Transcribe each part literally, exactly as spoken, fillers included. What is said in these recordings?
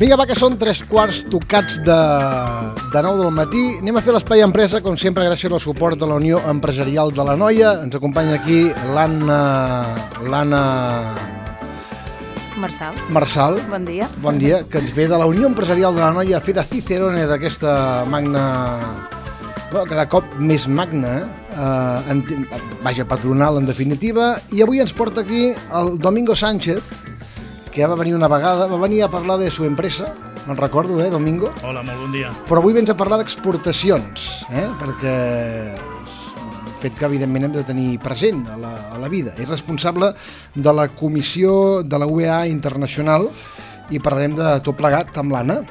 Vinga, va, que són tres quarts tocats de, de nou del matí. Anem a fer l'espai empresa, com sempre, gràcies al suport de la Unió Empresarial de l'Anoia. Ens acompanya aquí l'Anna... l'Anna... Marçal. Marçal. Bon dia. Bon dia, que ens ve de la Unió Empresarial de l'Anoia a fer de Cicerone d'aquesta magna... Bueno, cada cop més magna, eh? en, vaja, patronal en definitiva. I avui ens porta aquí el Domingo Sánchez, que ja va venir una vegada, va venir a parlar de su empresa, me'n recordo, eh, Domingo? Hola, molt bon dia. Però avui vens a parlar d'exportacions, eh, perquè el fet que, evidentment, hem de tenir present a la, a la vida. És responsable de la comissió de la U E A Internacional i parlarem de tot plegat amb l'Anna.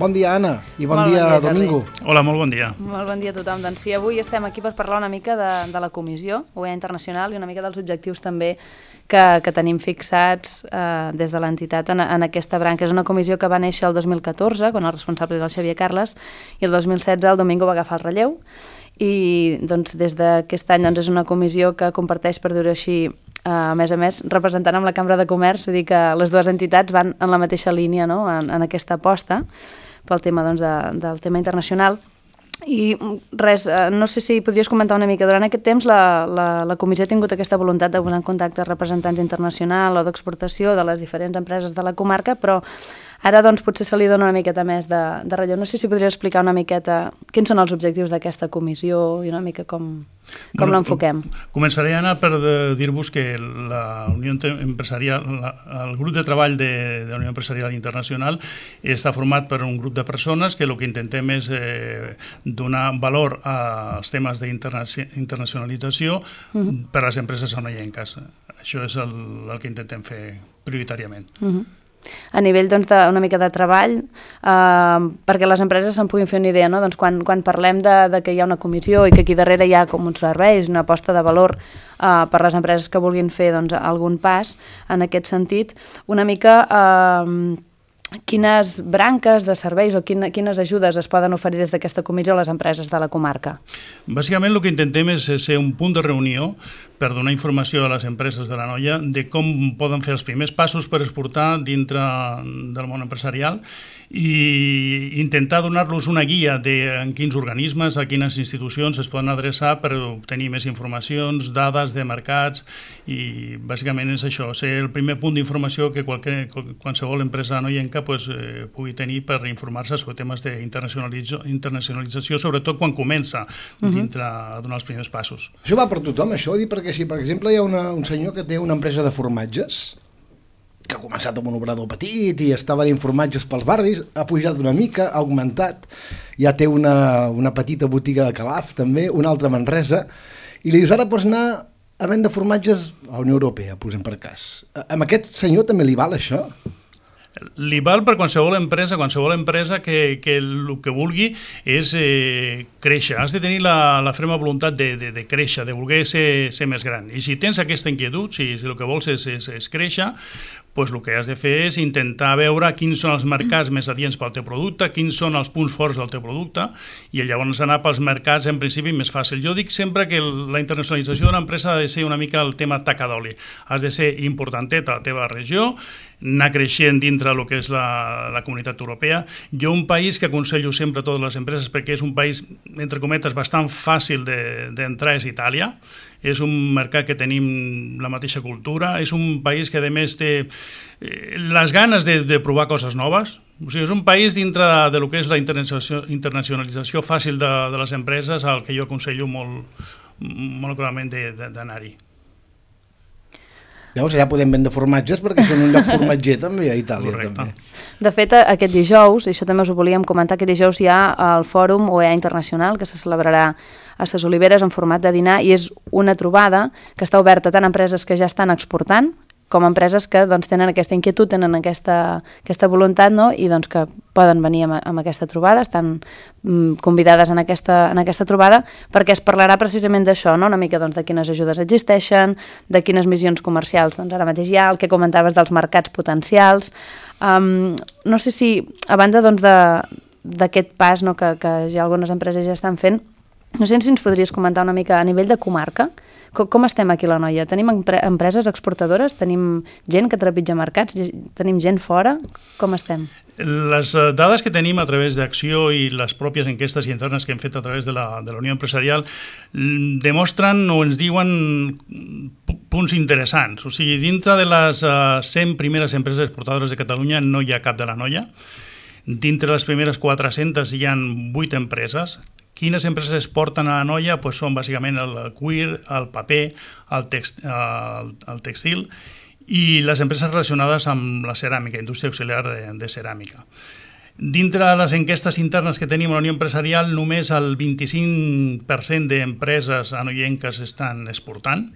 Bon dia, Anna, i bon, bon dia, dia Domingo. Hola, molt bon dia. Molt bon dia a tothom. Doncs sí, avui estem aquí per parlar una mica de, de la comissió U E A Internacional i una mica dels objectius també que, que tenim fixats eh, des de l'entitat en, en aquesta branca. És una comissió que va néixer el dos mil catorze, quan el responsable era el Xavier Carles, i el dos mil setze el Domingo va agafar el relleu. I doncs, des d'aquest any doncs, és una comissió que comparteix, per dir-ho així, Uh, a més a més, representant amb la Cambra de Comerç, vull dir que les dues entitats van en la mateixa línia, no?, en, en aquesta aposta pel tema, doncs, de, del tema internacional. I res, uh, no sé si podries comentar una mica. Durant aquest temps la, la, la comissió ha tingut aquesta voluntat de posar en contacte representants internacionals o d'exportació de les diferents empreses de la comarca, però ara doncs, potser se li dona una miqueta més de, de relleu. No sé si podries explicar una miqueta quins són els objectius d'aquesta comissió i una mica com, com bueno, l'enfoquem. Començaré, Anna, per dir-vos que la Unió Empresarial, la, el grup de treball de, de la Unió Empresarial Internacional està format per un grup de persones que el que intentem és eh, donar valor als temes d'internacionalització uh-huh. per a les empreses anoienques. Això és el, el que intentem fer prioritàriament. Uh-huh. A nivell doncs, de, una mica de treball, eh, perquè les empreses se'n puguin fer una idea, no? Doncs quan, quan parlem de, de que hi ha una comissió i que aquí darrere hi ha com uns serveis, una aposta de valor eh, per les empreses que vulguin fer doncs, algun pas en aquest sentit, una mica eh, quines branques de serveis o quina, quines ajudes es poden oferir des d'aquesta comissió a les empreses de la comarca? Bàsicament el que intentem és ser un punt de reunió per donar informació a les empreses de l'Anoia de com poden fer els primers passos per exportar dintre del món empresarial i intentar donar-los una guia de en quins organismes, a quines institucions es poden adreçar per obtenir més informacions, dades de mercats i bàsicament és això, ser el primer punt d'informació que qualque, qualsevol empresa anoienca pues, eh, pugui tenir per informar-se sobre temes d'internacionalització, sobretot quan comença dintre a donar els primers passos. Això va per tothom, això? Dir perquè si, per exemple, hi ha una, un senyor que té una empresa de formatges que ha començat amb un obrador petit i està venint formatges pels barris, ha pujat una mica, ha augmentat, ja té una, una petita botiga de Calaf també, una altra a Manresa, i li dius, ara pots anar a vendre formatges a la Unió Europea, posem per cas. A aquest senyor també li val això? Li val per qualsevol empresa, qualsevol empresa que, que el que vulgui és eh, créixer. Has de tenir la, la ferma voluntat de, de, de créixer, de voler ser, ser més gran. I si tens aquesta inquietud, si, si el que vols és, és, és créixer, pues el que has de fer és intentar veure quins són els mercats més adients pel teu producte, quins són els punts forts del teu producte, i llavors anar pels mercats en principi més fàcil. Jo dic sempre que la internacionalització d'una empresa ha de ser una mica el tema taca d'oli. Has de ser importantet a la teva regió, anar creixent dintre del que és la, la comunitat europea. Jo un país que aconsello sempre a totes les empreses, perquè és un país, entre cometes, bastant fàcil d'entrar, és Itàlia. És un mercat que tenim la mateixa cultura, és un país que a més té eh, les ganes de, de provar coses noves. O sigui, és un país dintre de lo que és la internacionalització, internacionalització fàcil de, de les empreses al que jo aconsello molt, molt clarament d'anar-hi. Llavors ja podem vendre formatges perquè són un lloc formatger també a Itàlia. Correcte. També. De fet, aquest dijous, i això també us ho volíem comentar, aquest dijous hi ha el Fòrum U E A Internacional que se celebrarà a Ses Oliveres en format de dinar i és una trobada que està oberta tant a empreses que ja estan exportant com a empreses que doncs, tenen aquesta inquietud, tenen aquesta, aquesta voluntat, no? I doncs, que poden venir amb, amb aquesta trobada, estan mm, convidades en aquesta, en aquesta trobada perquè es parlarà precisament d'això, no? Una mica doncs, de quines ajudes existeixen, de quines missions comercials doncs, ara mateix hi ha, el que comentaves dels mercats potencials. Um, no sé si, a banda doncs, d'aquest pas no, que, que ja algunes empreses ja estan fent, no sé si ens podries comentar una mica a nivell de comarca, Com, com estem aquí a l'Anoia? Tenim empre empreses exportadores? Tenim gent que trepitja mercats? Tenim gent fora? Com estem? Les dades que tenim a través d'Acció i les pròpies enquestes internes que hem fet a través de la, de la Unió Empresarial demostren o ens diuen punts interessants. O sigui, dintre de les uh, cent primeres empreses exportadores de Catalunya no hi ha cap de l'Anoia. Dintre les primeres quatre-centes hi ha vuit empreses. Quines empreses exporten a l'Anoia? Pues són bàsicament el cuir, el paper, el, text, el, el textil i les empreses relacionades amb la ceràmica, indústria auxiliar de, de ceràmica. Dintre de les enquestes internes que tenim a la Unió Empresarial, només el vint-i-cinc per cent d'empreses anoienques estan exportant.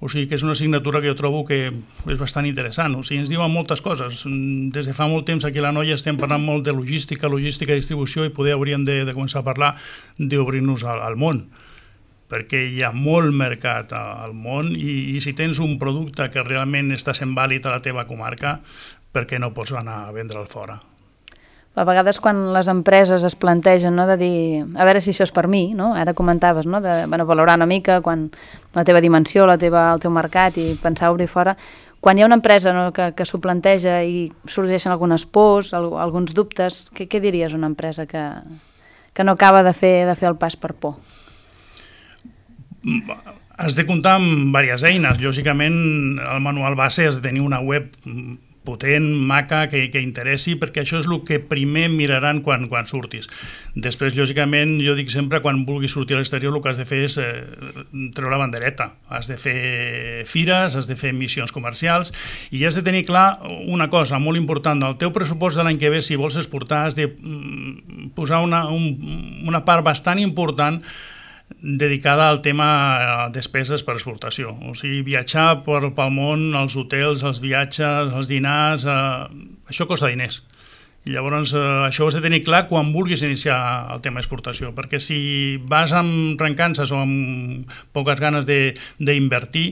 O sigui que és una assignatura que jo trobo que és bastant interessant. O sigui, ens diuen moltes coses. Des de fa molt temps aquí a l'Anoia estem parlant molt de logística, logística i distribució i poder hauríem de, de començar a parlar d'obrir-nos al, al món, perquè hi ha molt mercat al món i, i si tens un producte que realment està sent vàlid a la teva comarca, per què no pots anar a vendre'l fora? A vegades quan les empreses es plantegen, no, de dir, a veure si això és per mi, no? Ara comentaves, no, de bueno, valorar una mica quan la teva dimensió, la teva, el teu mercat i pensar obrir fora. Quan hi ha una empresa, no, que, que s'ho planteja i sorgeixen algunes pors, alguns dubtes, què, què diries a una empresa que, que no acaba de fer, de fer el pas per por? Has de comptar amb diverses eines. Lògicament, el manual base has de tenir una web potent, maca, que, que interessi, perquè això és el que primer miraran quan, quan surtis. Després, lògicament, jo dic sempre, quan vulguis sortir a l'exterior, el que has de fer és eh, treure la bandereta. Has de fer fires, has de fer missions comercials i has de tenir clar una cosa molt important. Del teu pressupost de l'any que ve, si vols exportar, has de mm, posar una, un, una part bastant important dedicada al tema despeses per exportació. O sigui, viatjar per, pel món, els hotels, els viatges, els dinars, eh, això costa diners. I llavors eh, això ho has de tenir clar quan vulguis iniciar el tema d'exportació, perquè si vas amb rencances o amb poques ganes d'invertir,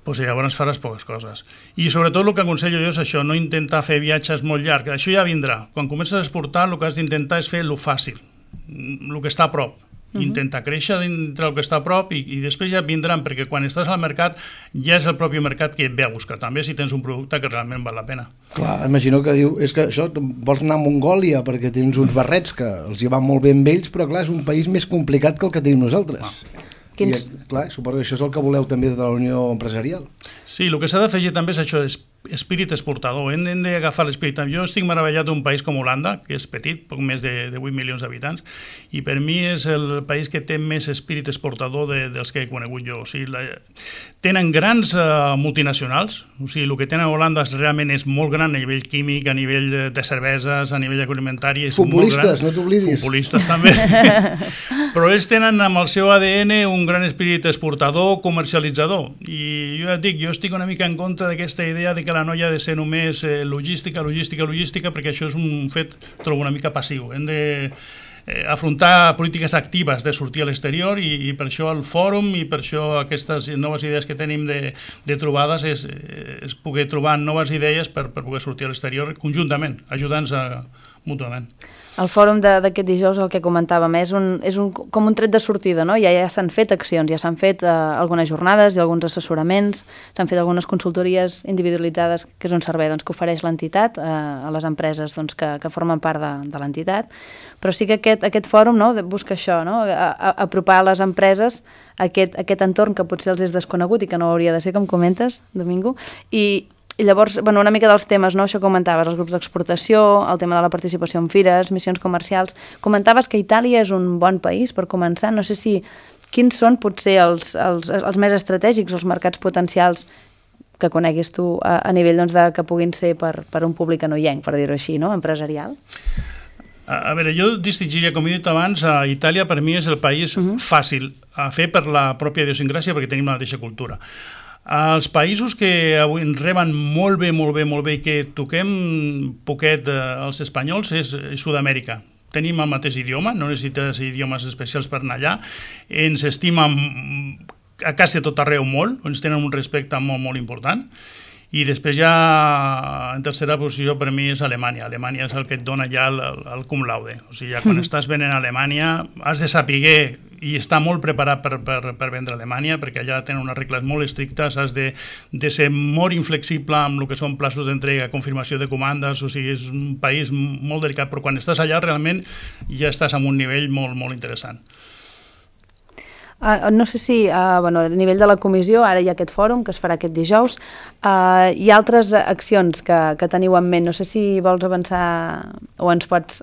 doncs llavors faràs poques coses. I sobretot el que aconsello jo és això, no intentar fer viatges molt llargs. Això ja vindrà. Quan comences a exportar, el que has d'intentar és fer el fàcil, el que està a prop. Intenta créixer dintre el que està a prop i, i després ja vindran, perquè quan estàs al mercat ja és el propi mercat que et ve a buscar també si tens un producte que realment val la pena. Clar, imagino que diu, és que això, vols anar a Mongòlia perquè tens uns barrets que els hi van molt bé amb ells, però clar, és un país més complicat que el que tenim nosaltres. Ah. Quins... I, clar, suposo que això és el que voleu també de la Unió Empresarial. Sí, el que s'ha d'afegir també és això, és espírit exportador, hem, hem d'agafar l'esperit. Jo estic meravellat d'un país com Holanda, que és petit, poc més de, de vuit milions d'habitants, i per mi és el país que té més espírit exportador de, dels que he conegut jo. O sigui, la, tenen grans uh, multinacionals, o sigui, el que tenen a Holanda realment és molt gran a nivell químic, a nivell de cerveses, a nivell agroalimentari, és futbolistes, molt gran. No t'oblidis. Futbolistes també. Però ells tenen amb el seu A D N un gran espírit exportador, comercialitzador, i jo ja et dic, jo estic una mica en contra d'aquesta idea de que la noia ha de ser només eh, logística, logística, logística, perquè això és un fet, trobo una mica passiu. Hem de eh, afrontar polítiques actives de sortir a l'exterior i, i per això el fòrum i per això aquestes noves idees que tenim de, de trobades és, és poder trobar noves idees per, per poder sortir a l'exterior conjuntament, ajudant-nos mútuament. El fòrum d'aquest dijous, el que comentàvem, és, un, és un, com un tret de sortida, no? Ja, ja s'han fet accions, ja s'han fet eh, algunes jornades i alguns assessoraments, s'han fet algunes consultories individualitzades, que és un servei doncs, que ofereix l'entitat eh, a les empreses doncs, que, que formen part de, de l'entitat, però sí que aquest, aquest fòrum no, busca això, no? A, a, apropar a les empreses aquest, aquest entorn que potser els és desconegut i que no hauria de ser, com comentes, Domingo, i I llavors, bueno, una mica dels temes, no? Això comentaves, els grups d'exportació, el tema de la participació en fires, missions comercials. Comentaves que Itàlia és un bon país per començar. No sé si quins són potser els, els, els més estratègics, els mercats potencials que coneguis tu a, a nivell doncs, de, que puguin ser per, per un públic anoienc, per dir-ho així, no? Empresarial. A, a veure, jo distingiria, com he dit abans, a Itàlia per mi és el país uh-huh. fàcil a fer per la pròpia idiosincràsia perquè tenim la mateixa cultura. Els països que avui ens reben molt bé, molt bé, molt bé i que toquem poquet eh, els espanyols és Sud-amèrica. Tenim el mateix idioma, no necessites idiomes especials per anar allà, ens estimen a quasi tot arreu molt, ens tenen un respecte molt, molt important. I després ja, en tercera posició, per mi és Alemanya. Alemanya és el que et dona ja el, el cum laude. O sigui, ja quan estàs venent a Alemanya has de saber i està molt preparat per, per, per vendre a Alemanya, perquè allà tenen unes regles molt estrictes, has de, de ser molt inflexible amb el que són plaços d'entrega, confirmació de comandes, o sigui, és un país molt delicat, però quan estàs allà realment ja estàs en un nivell molt, molt interessant. Uh, no sé si, uh, bueno, a nivell de la comissió, ara hi ha aquest fòrum que es farà aquest dijous, uh, hi ha altres accions que, que teniu en ment, no sé si vols avançar o ens pots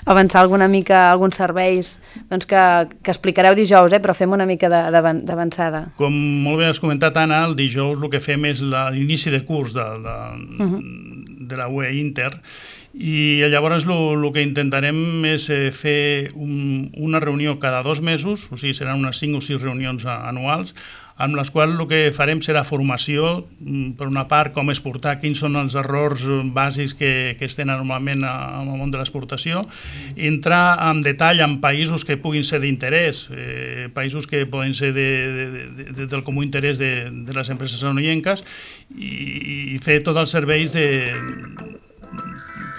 avançar alguna mica, alguns serveis doncs que, que explicareu dijous, eh, però fem una mica d'avançada. Com molt bé has comentat, Anna, el dijous el que fem és l'inici de curs de, de, uh-huh. de la U E Inter, i llavors el que intentarem és fer un, una reunió cada dos mesos, o sigui, seran unes cinc o sis reunions anuals, amb les quals el que farem serà formació, per una part, com exportar, quins són els errors bàsics que, que es tenen normalment en el món de l'exportació, entrar en detall en països que puguin ser d'interès, eh, països que poden ser de, de, de, del comú interès de, de les empreses anoyenques, i, i fer tots els serveis de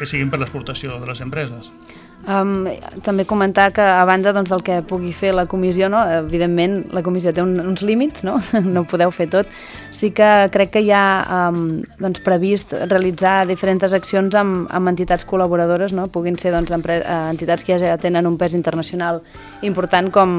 que siguin per l'exportació de les empreses. Um, també comentar que a banda doncs, del que pugui fer la comissió, no? Evidentment la comissió té un, uns límits, no? No ho podeu fer tot. Sí que crec que hi ha um, doncs, previst realitzar diferents accions amb, amb entitats col·laboradores, no? Puguin ser doncs, entitats que ja tenen un pes internacional important com,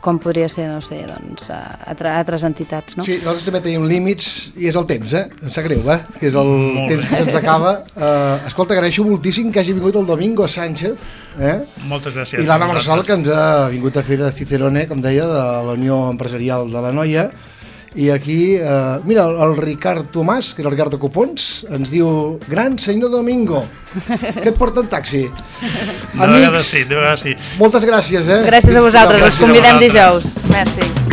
com podria ser, no sé, doncs, altres entitats, no? Sí, nosaltres també tenim límits i és el temps, eh? Em sap greu, eh? Que és el Molt temps bé. Que se'ns acaba. Uh, escolta, agraeixo moltíssim que hagi vingut el Domingo Sánchez, eh? Moltes gràcies. I l'Anna Marsal, que ens ha vingut a fer de Cicerone, com deia, de la Unió Empresarial de la Noia. I aquí, eh, mira, el Ricard Tomàs, que és el Ricard de Copons, ens diu: gran senyor Domingo, que et porta en taxi. De vegades sí, de vegades sí. Moltes gràcies, eh? Gràcies a vosaltres, us convidem dijous. Merci.